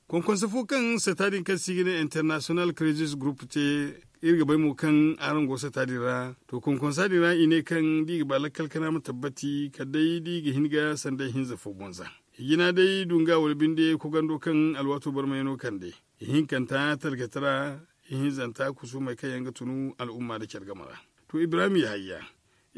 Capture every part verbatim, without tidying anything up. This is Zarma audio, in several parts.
Konkonsa fo kaŋ sata din kaŋ se i ga ne international crisis group te, iri ga bay mo kaŋ araŋ go sata din ra. To konkonsa din ra i ne kaŋ da i ga ba lakkal kana ma tabbati kala day da i ga hin ga sanday hinza fo boŋ za. I jina day dunga wala binde kogando kaŋ alwaato barmayano kande, ihinkanta talkata ra, ihinzanta kusumey kaŋ yaŋ ga tunu al'umma nda care game ra. To ibrahim yahaya,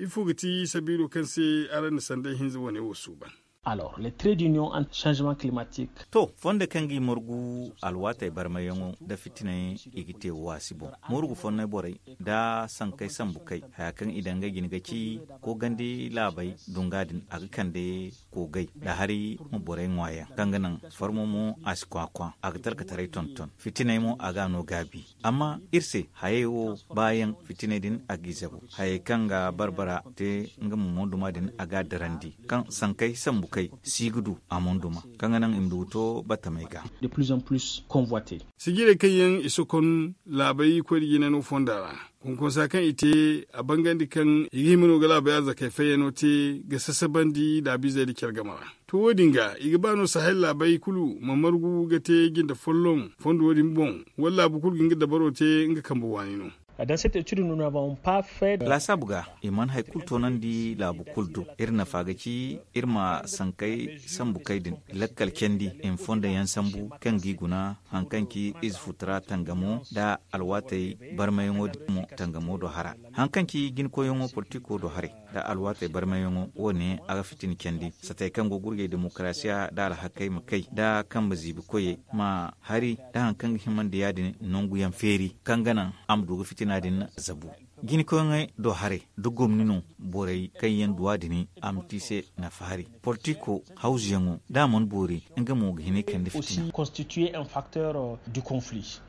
ifo ga ti sabiilo kaŋ se araŋ na sanday hinza wane wo suuban? Alors les traits d'union entre changement climatique. To, fondo kaŋ ga i margu alwaatey barmayyaŋo nda fitiney, i ga te waasi boŋ. Morgu fonney borey nda sankey sambu kay haya kaŋ i daŋ ga jina ga ci, koogandi laabey dunga din a ga kande koogay nda hari ma borey ŋwaayaŋ kaŋ ga naŋ farmo mo a si kwakwa, a ga talkataray tonton, fitiney mo a ga a no gaabi. Amma iri se hayey wo baayaŋ fitiney din a g'i zabu. Hayey kaŋ ga barbara te nga ma monduma din a ga a darandi kaŋ sankey sambu kay si ga du a monduma kaŋ ga naŋ i ma du ga to battamey ga. De plus en plus convoité. Sijirey kaŋ yaŋ i sokon laabey koy da jinano fonda ra, konkonsa kaŋ i te, a bangandi kaŋ i ga hima no ga laabey arzakey fayyano te ga sasabandi laabizey nda care game ra. To wo- din ga i ga ba no sahel laabey kulu ma margu ga te jinde folloŋ fondo wo- din boŋ, wala laabu kulu ga nga dabaro te nga kambe waani no? Dans cette étude nous n'avons pas fait de. Laasaabu ga i mana hari kulu toonandi laabu kulu do. Iri nafa ga ci iri ma sankey sambu kay din lakkal candi i ma fondo yaŋ sambu kaŋ g'i guna hari kaŋ ci ize futara tangamo nda alwaatey barmayaŋo din mo tangamo do hara. Hari kaŋ ci jinkoyyaŋo politiko do haray nda alwaatey barmayaŋo, wo-ne a ga fitina candi satey kaŋ go ga gurjay demokarasiya nda alhakey ma kay nda kambe ziibi koyey ma hari nda hari kaŋ ga himandi ya- din nangu yaŋ feeri kaŋ ga naŋ a ma du ga fitina din zabu. Jinkoyyaŋey do haray nda gomni no borey kaŋ yaŋ duwa din a ma te i se nafa hari. Politiko hawzuyaŋo da a mana boori nga mo ga hin ga kande fitina. Constituer un facteur du conflit.